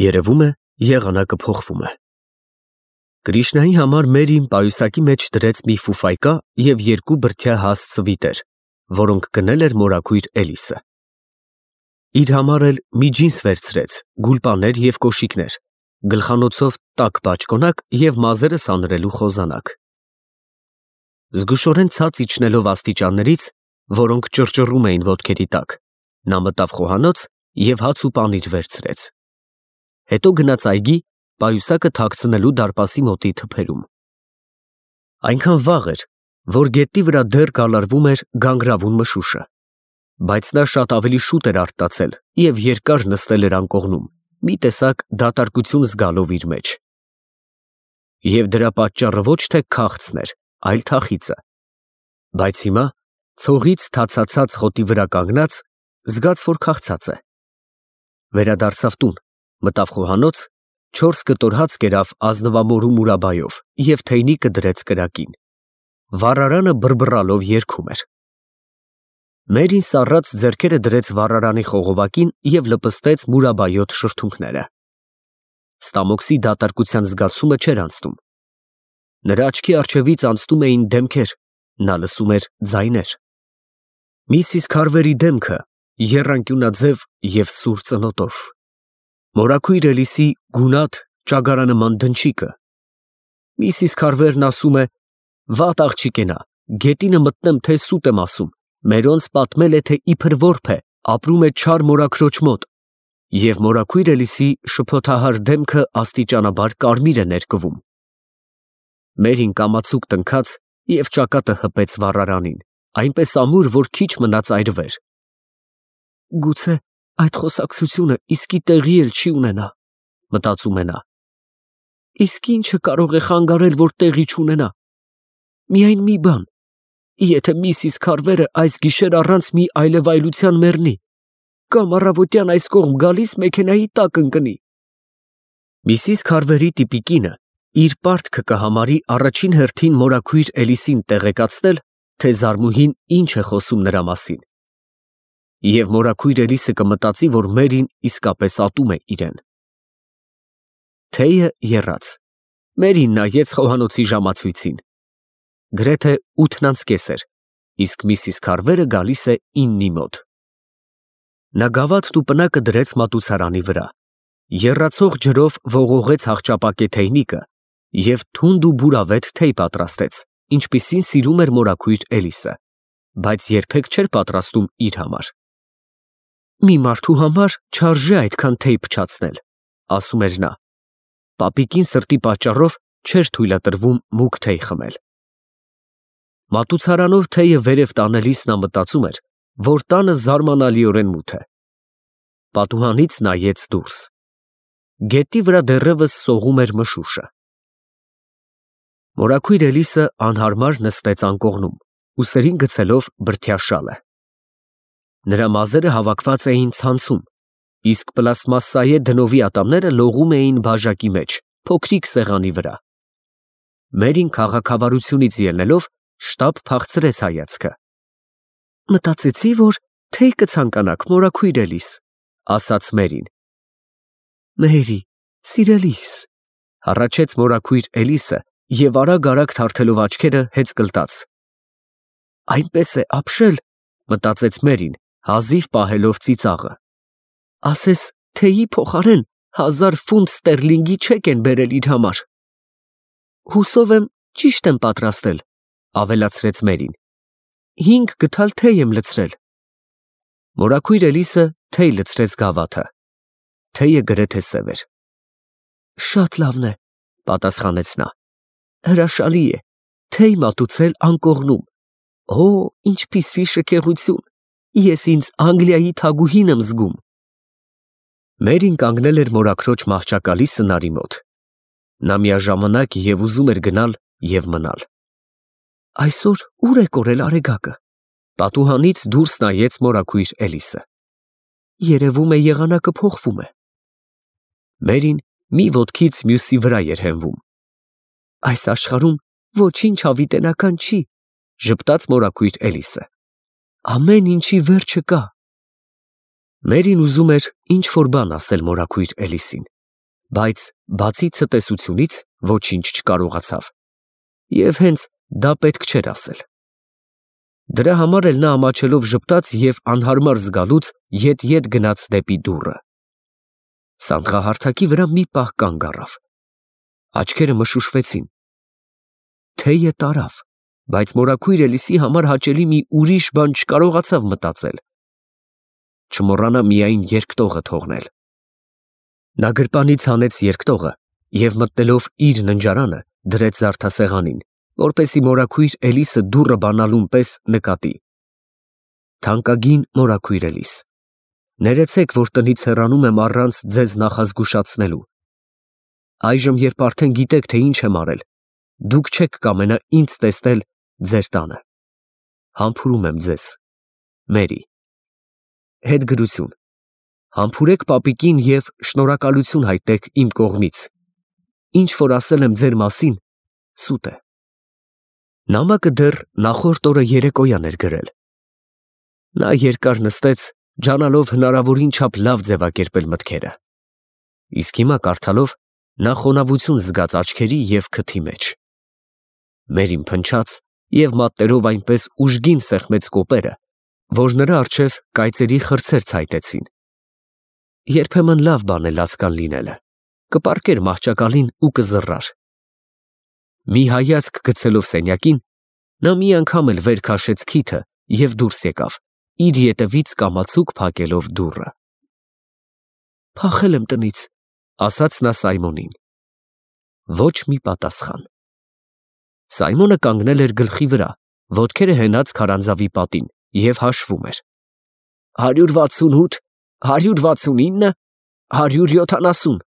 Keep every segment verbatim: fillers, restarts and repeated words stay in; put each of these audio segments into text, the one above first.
Երևում է եղանակը փոխվում է։ Կրիշնայի համար Մերին պայուսակի մեջ դրեց մի ֆուֆայկա և երկու բրդյա հաստ սվիտեր, որոնք գնել էր մորաքույր Էլիսը։ Իր համար էլ մի ջինս վերցրեց, գուլպաներ և կոշիկներ, գլխանոցով տաք բաճկոնակ և մազերը սանրելու խոզանակ։ Զգուշորեն ցած իջնելով աստիճաններից, որոնք ճռճռում էին ոտքերի տակ, նա մտավ խոհանոց և հաց ու պանիր վերցրեց։ Հետո գնաց այգի, պայուսակը թաքցնելու դարպասի մոտի թփերում։ Այնքան վաղ էր, որ գետնի վրա դեռ գալարվում էր գանգրավուն մշուշը, բայց նա շատ ավելի շուտ էր արթնացել և երկար նստել էր անկողնում, մի տեսակ դատարկություն զգալով իր մեջ։ Եվ դրա պատճառը ոչ թե քաղցն էր, այլ թախիծը։ Բայց հիմա, ցողից թացացած խոտի վրա կանգնած, զգաց, որ քաղցած է։ Վերադարձավ տուն, մտավ խոհանոց, չորս կտոր հաց կերավ ազնվամորու մուրաբայով և թեյնիկը դրեց կրակին։ Վառարանը բռբռալով երգում էր։ Մերին սառած ձեռքերը դրեց վառարանի խողովակին և լպստեց մուրաբայոտ շրթունքները։ Ստամոքսի դատարկության զգացումը չէր անցնում։ Նրա աչքի առջևից անցնում էին դեմքեր, նա լսում էր ձայներ։ Միսիս Քարվերի դեմքը, եռանկյունաձև և սուր ծնոտով, մորաքույր Էլիսի գունատ ճագարանման դնչիկը։ Միսիս Քարվերն ասում է. «Վատ աղջիկ է նա, գետինը մտնեմ, թե սուտ եմ ասում, մերոնց պատմել է, թե իբր որբ է, ապրում է չար մորաքրոջ մոտ», և մորաքույր Էլիսի շփոթահար դեմքը աստիճանաբար կարմիր է ներկվում։ Մերին կամացուկ տնքաց և ճակատը հպեց վառարանին, այնպես ամուր, որ քիչ մնաց այրվեր։ «Գուցե այդ խոսակցությունը իսկի տեղի էլ չի ունենա», մտածում է նա։ Իսկ ի՞նչը կարող է խանգարել, որ տեղի չունենա։ Միայն մի բան. եթե միսիս Քարվերը այս գիշեր առանց մի այլևայլության մեռնի, կամ առավոտյան այս կողմ գալիս մեքենայի տակ ընկնի։ Միսիս Քարվերի տիպիկինը իր պարտքը կհամարի առաջին հերթին մորաքույր Էլիսին տեղեկացնել, թե զարմուհին ինչ է խոսում նրա մասին։ Եվ մորաքույր Էլիսը կմտածի, որ Մերին իսկապես ատում է իրեն։ Թեյը եռաց։ Մերին նայեց խոհանոցի ժամացույցին։ Գրեթե ութն անց կես էր, իսկ միսիս Քարվերը գալիս է իննի մոտ։ Նա գավաթն ու պնակը դրեց մատուցարանի վրա, եռացող ջրով ողողեց հախճապակե թեյնիկը և թունդ ու բուրավետ թեյ պատրաստեց, ինչպիսին սիրում էր մորաքույր Էլիսը, բայց երբեք չէր պատրաստում իր համար։ Մի մարդու համար չարժե այդքան թեյ փչացնել, ասում էր նա։ Պապիկին սրտի պատճառով չէր թույլատրվում մուգ թեյ խմել։ Մատուցարանով թեյը վերև տանելիս նա մտածում էր, որ տանը զարմանալիորեն մութ է։ Պատուհանից նայեց դուրս։ Գետի վրա դեռևս սողում էր մշուշը։ Մորաքույր Էլիսը անհարմար նստեց անկողնում, ուսերին գցելով բրդյա շալը։ Նրա մազերը հավաքված էին ցանցում, իսկ պլաստմասսայե դնովի ատամները լողում էին բաժակի մեջ, փոքրիկ սեղանի վրա։ Մերին քաղաքավարությունից ելնելով շտապ փախցրեց հայացքը։ Մտածեցի, որ թեյ կցանկանաք, մորաքույր Էլիս, ասաց Մերին։ Մերի, սիրելիս, հառաչեց մորաքույր Էլիսը և արագ-արագ թարթելով աչքերը հեծկլտաց։ Այնպես է ապշել, մտածեց Մերին, հազիվ պահելով ծիծաղը։ Ասես թեյի փոխարեն հազար ֆունտ ստերլինգի չեք են բերել իր համար։ Հուսով եմ ճիշտ եմ պատրաստել, ավելացրեց Մերին։ Հինգ գդալ թեյ եմ լցրել։ Մորաքույր Էլիսը թեյ լցրեց գավաթը։ Թեյը գրեթե սև էր։ Շատ լավն է, պատասխանեց նա։ Հրաշալի է, թեյ մատուցել անկողնում։ Օ, ինչպիսի շքեղություն, ես ինձ Անգլիայի թագուհին եմ զգում։ Մերին կանգնել էր մորաքրոջ մահճակալի սնարի մոտ։ Նա միաժամանակ և ուզում էր գնալ և մնալ։ Այսօր ո՞ւր է կորել Արեգակը։ Պատուհանից դուրս նայեց մորաքույր Էլիսը։ Երևում է եղանակը փոխվում է։ Մերին մի ոտքից մյուսի վրա էր հենվում։ Այս աշխարհում ոչինչ հավիտենական չի, ժպտաց մորաքույր Էլիսը։ Ամեն ինչի վերջը կա։ Մերին ուզում էր ինչ-որ բան ասել մորաքույր Էլիսին, բայց բացի ցտեսությունից ոչինչ չկարողացավ, և հենց դա պետք չէր ասել։ Դրա համար էլ նա ամաչելով ժպտաց և անհարմար զգալուց ետ-ետ գնաց դեպի դուռը։ Սանդղահարթակի վրա մի պահ կանգ առավ։ Աչքերը մշուշվեցին։ Թեյը տարավ, բայց մորաքույր Էլիսի համար հաճելի մի ուրիշ բան չկարողացավ մտածել։ Չմոռանա միայն երկտողը թողնել։ Նա գրպանից հանեց երկտողը և մտնելով իր ննջարանը դրեց զարդասեղանին, որպեսզի մորաքույր Էլիսը դուռը բանալուն պես նկատի։ Թանկագին մորաքույր Էլիս, ներեցեք, որ տնից հեռանում եմ առանց ձեզ նախազգուշացնելու։ Այժմ, երբ արդեն գիտեք, թե ինչ եմ արել, դուք չեք կամենա ինձ տեսնել ձեր տանը։ Համբուրում եմ ձեզ։ Մերի։ Հետգրություն։ Համբուրեք պապիկին և շնորհակալություն հայտնեք իմ կողմից։ Ինչ որ ասել եմ ձեր մասին, սուտ է։ Նամակը դեռ նախորդ օրը երեկոյան էր գրել։ Նա երկար նստեց, ջանալով հնարավորին չափ լավ ձևակերպել մտքերը։ Իսկ հիմա կարդալով նա խոնավություն զգաց աչքերի և քթի մեջ։ Մերին փնչաց և մատներով այնպես ուժգին սեղմեց կոպերը, որ նրա առջև կայծերի խրձեր ցայտեցին։ Երբեմն լավ բան է լացկան լինելը, կպառկեր մահճակալին ու կզռար։ Մի հայացք գցելով սենյակին, նա մի անգամ էլ վեր քաշեց քիթը և դուրս եկավ, իր ետևից կամացուկ փակելով դուռը։ Փախել եմ տնից, ասաց նա Սայմոնին։ Ոչ մի պատասխան։ Սայմոնը կանգնել էր գլխի վրա, ոտքերը հենած քարանձավի պատին և հաշվում էր։ Հարյուր վաթսունութ, հարյուր վաթսունինը, հարյուր յոթանասուն։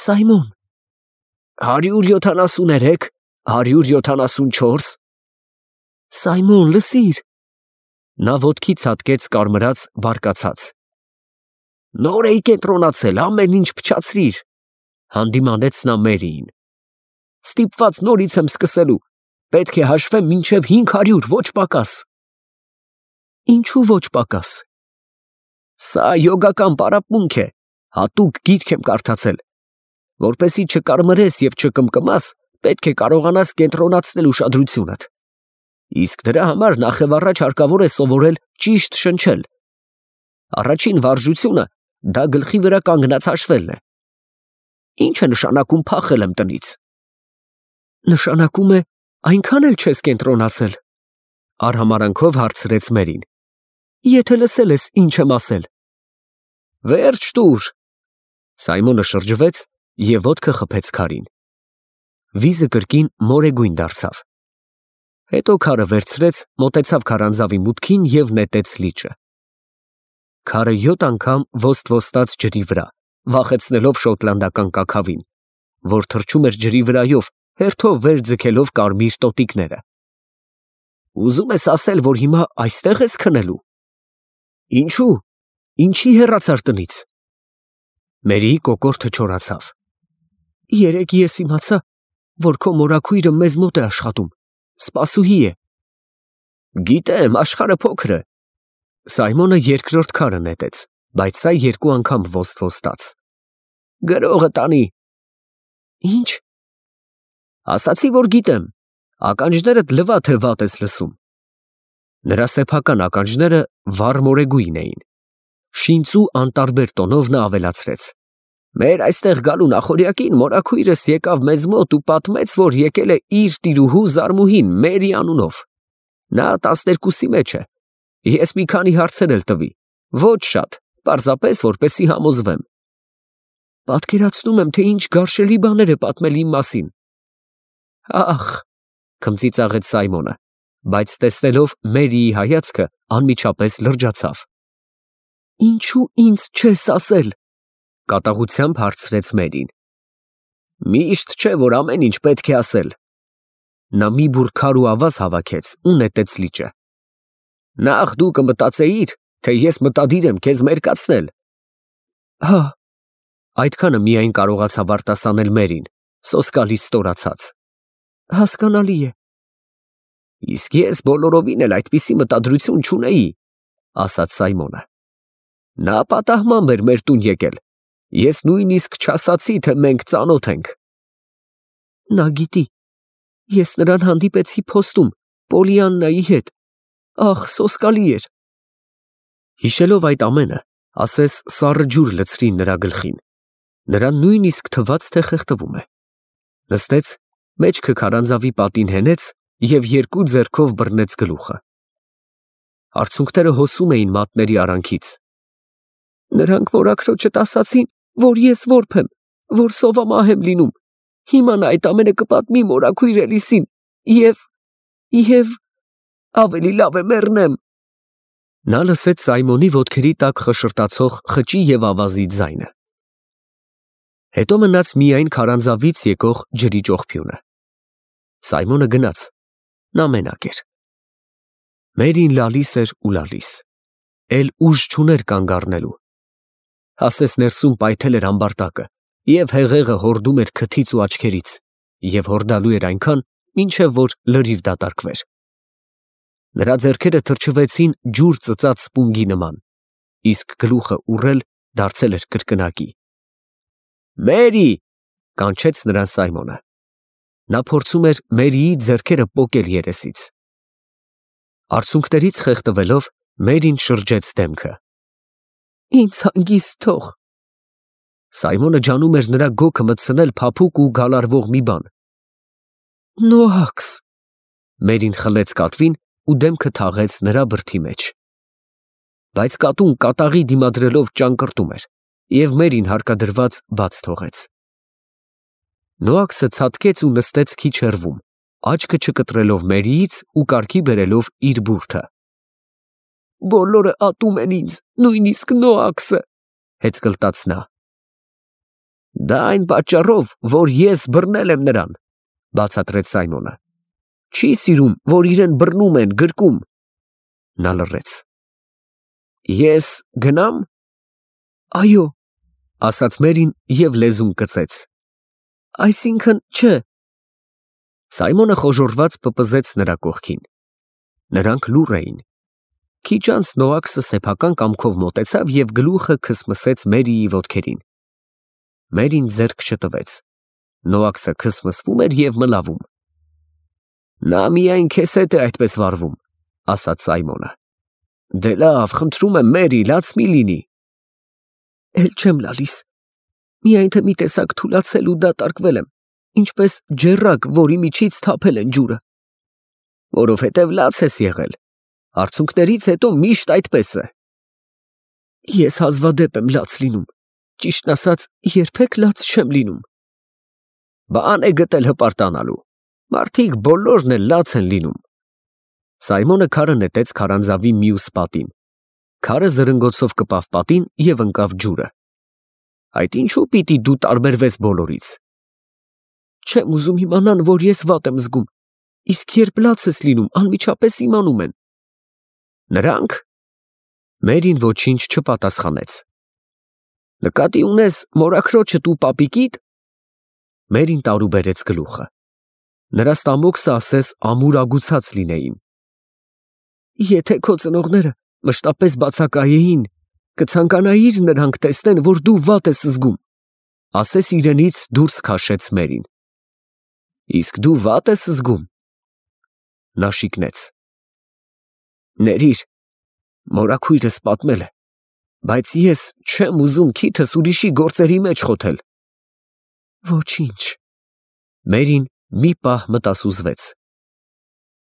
Սայմոն։ Հարյուր յոթանասուներեք, հարյուր յոթանասունչորս։ Սայմոն, լսիր։ Նա ոտքի ցատկեց կարմրած բարկացած։ Նոր էի կենտրոնացել, ամեն ինչ փչացրիր, հանդիմանեց նա Մերիին։ Ստիպված նորից եմ սկսելու, պետք է հաշվեմ մինչև հինգ հարյուր, ոչ պակաս։ Ինչու ոչ պակաս։ Սա յոգական պարապմունք է, հատուկ գիրք եմ կարդացել, որպեսզի չկարմրես և չկմկմաս, պետք է կարողանաս կենտրոնացնել ուշադրությունդ։ Իսկ դրա համար նախևառաջ հարկավոր է սովորել ճիշտ շնչել։ Առաջին վարժությունը դա գլխի վրա կանգնած հաշվելն է։ Ինչ է նշանակում փախել եմ տնից։ Նշանակում է այնքան էլ չես կենտրոնացել, արհամարանքով հարցրեց Մերին։ Եթե լսել ես ինչ եմ ասել։ Վերջ տուր։ Սայմոնը շրջվեց և ոտքը խփեց քարին։ Վիզը կրկին մորեգույն դարձավ։ Հետո քարը վերցրեց, մոտեցավ քարանձավի մուտքին և նետեց լիճը։ Քարը յոթ անգամ ոստ-ոստաց ջրի վրա, վախեցնելով շոտլանդական կաքավին, որ թռչում էր ջրի վրայով, հերթով վեր ձգելով կարմիր տոտիկները։ Ուզում ես ասել, որ հիմա այստեղ ես քնելու։ Ինչու, ինչի հեռացար տնից։ Մերիի կոկորդը չորացավ։ Երեկ ես իմացա, որ քո մորաքույրը մեզ մոտ է աշխատում, սպասուհի է։ Գիտեմ, աշխարհը փոքր է։ Սայմոնը երկրորդ քարը նետեց, բայց սա երկու անգամ ոստ-ոստաց։ Գրողը տանի։ Ինչ։ Ասացի, որ գիտեմ, ականջներդ լվա թե վատ ես լսում։ Նրա սեփական ականջները վառ մորեգույն էին։ Շինծու անտարբեր տոնով նա ավելացրեց. Մեր այստեղ գալու նախօրյակին մորաքույրս եկավ մեզ մոտ ու պատմեց, որ եկել է իր տիրուհու Զարմուհին Մերի անունով։ Նա տասներկուսի մեջ է։ Ես մի քանի հարցեր էլ տվի, ոչ շատ, պարզապես որպեսզի համոզվեմ։ Պատկերացնում եմ, թե ինչ գարշելի բաներ է պատմել իմ մասին։ Ախ, քմծիծաղեց Սայմոնը, բայց տեսնելով Մերիի հայացքը անմիջապես լրջացավ։ Ինչու ինձ չես ասել։ Կատաղությամբ հարցրեց Մերին։ Միշտ չէ, որ ամեն ինչ պետք է ասել։ Նա մի բուռ քար ու ավազ հավաքեց ու նետեց լիճը։ Նախ դու կմտածեիր, թե ես մտադիր եմ քեզ մերկացնել։ Հա, այդքանը միայն կարողացավ արտասանել Մերին, սոսկալի ստորացած։ Հասկանալի է։ Իսկ ես բոլորովին էլ այդպիսի մտադրություն չունեի, ասաց Սայմոնը։ Նա պատահմամբ էր մեր տուն եկել, Ես նույնիսկ չասացի, թե մենք ծանոթ ենք։ Նա գիտի, ես նրան հանդիպեցի փոստում, Պոլիաննայի հետ, ախ, սոսկալի էր։ Հիշելով այդ ամենը, ասես սառը ջուր լցրին նրա գլխին, նրան նույնիսկ թվաց, թե խեղդվում է։ Նստեց, մեջքը քարանձավի պատին հենեց և երկու ձեռքով բռնեց գլուխը։ Արցունքները հոսում էին մատների արանքից։ Նրանք մորաքրոջդ ասացին, որ ես որբ եմ, որ սովամահ եմ լինում, հիմա նա այդ ամենը կպատմի մորաքույր Էլիսին, և, և, ավելի լավ է մեռնեմ։ Նա լսեց Սայմոնի ոտքերի տակ խշշրտացող խճի և ավազի ձայնը։ Հետո մնաց միայն քարանձավից եկող ջրի ճողփյունը։ Սայմոնը գնաց, նա մենակ էր։ Մերին լալիս էր ու լալիս, էլ ուժ չուներ կանգ առնելու։ Ասես ներսում պայթել էր ամբարտակը, և հեղեղը հորդում էր քթից ու աչքերից, և հորդալու էր այնքան, մինչև որ լրիվ դատարկվեր։ Նրա ձեռքերը թրջվեցին ջուր ծծած սպունգի նման, իսկ գլուխը ուռել դարձել էր կրկնակի։ Մերի, կանչեց նրան Սայմոնը։ Նա փորձում էր Մերիի ձեռքերը պոկել երեսից։ Արցունքներից խեղդվելով, Մերին շրջեց դեմքը։ Ինձ հանգիստ թող։ Սայմոնը ջանում էր նրա գոգը մտցնել փափուկ ու գալարվող մի բան։ Նոաքս։ Մերին խլեց կատվին ու դեմքը թաղեց նրա բրդի մեջ։ Բայց կատուն կատաղի դիմադրելով ճանկռտում էր, և Մերին հարկադրված բաց թողեց։ Նոաքսը ցատկեց ու նստեց քիչ հեռվում, աչքը չկտրելով Մերիից ու կարգի բերելով իր բուրդը։ Բոլորը ատում են ինձ, նույնիսկ Նոաքսը, հեծկլտաց նա։ Դա այն պատճառով, որ ես բռնել եմ նրան, բացատրեց Սայմոնը։ Չի սիրում, որ իրեն բռնում են, գրկում։ Նա լռեց։ Ես գնա՞մ։ Այո, ասաց Մերին և լեզուն կծեց։ Այսինքն՝ չէ։ Սայմոնը խոժոռված պպզեց նրա կողքին։ Նրանք լուռ էին։ Քիչ անց Նոաքսը սեփական կամքով մոտեցավ և գլուխը քսմսեց Մերիի ոտքերին։ Մերին ձեռք չտվեց։ Նոաքսը քսմսվում էր և մլավում։ Նա միայն քեզ հետ է այդպես վարվում, ասաց Սայմոնը։ Դե լավ, խնդրում եմ, Մերի, լաց մի լինի։ Էլ չեմ լալիս, միայն թե մի տեսակ թուլացել ու դատարկվել եմ, ինչպես ջեռակ, որի միջից թափել են ջուրը։ Որովհետև լաց ես եղել, արցունքներից հետո միշտ այդպես է։ Ես հազվադեպ եմ լաց լինում, ճիշտն ասած, երբեք լաց չեմ լինում։ Բան է գտել հպարտանալու, մարդիկ բոլորն էլ լաց են լինում։ Սայմոնը քարը նետեց քարանձավի մյուս պատին։ Քարը զրնգոցով կպավ պատին և ընկավ ջուրը։ Այդ ինչու պիտի դու տարբերվես բոլորից։ Չեմ ուզում իմանան, որ ես վատ եմ զգում, իսկ երբ լաց ես լինում, անմիջապես իմանում են։ Նրանք։ Մերին ոչինչ չպատասխանեց։ Նկատի ունես մորաքրոջդ ու պապիկիդ։ Մերին տարուբերեց գլուխը։ Նրա ստամոքսը ասես ամուրագուցած լինեին։ Եթե քո ծնողները մշտապես բացակայեին, կցանկանայիր նրանք տեսնեն, որ դու վատ ես զգում, ասես իրենից դուրս քաշեց Մերին։ Իսկ դու վատ ես զգում։ Նա շիկնեց։ Ներիր, մորաքույրս պատմել է, բայց ես չեմ ուզում քիթս ուրիշի գործերի մեջ խոթել։ Ոչինչ։ Մերին մի պահ մտասուզվեց։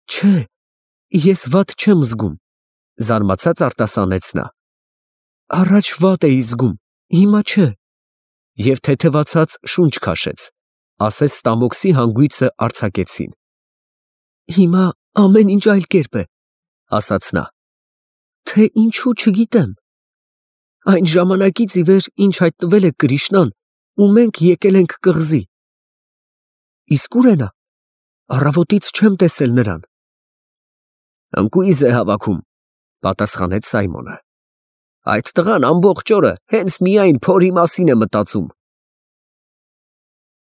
Չէ, ես վատ չեմ զգում, զարմացած արտասանեց նա։ Առաջ վատ էի զգում, հիմա չէ։ Եվ թեթևացած շունչ քաշեց, ասես ստամոքսի հանգույցը արձակեցին։ Հիմա ամեն ինչ այլ կերպ է, ասաց նա։ Թե ինչու չգիտեմ։ Այն ժամանակից ի վեր, ինչ հայտնվել է Կրիշնան, ու մենք եկել ենք կղզի։ Իսկ ուր է նա։ Առավոտից չեմ տեսել նրան։ Ընկույզ է հավաքում, պատասխանեց Սայմոնը։ Այդ տղան ամբողջ օրը հենց միայն փորի մասին է մտածում։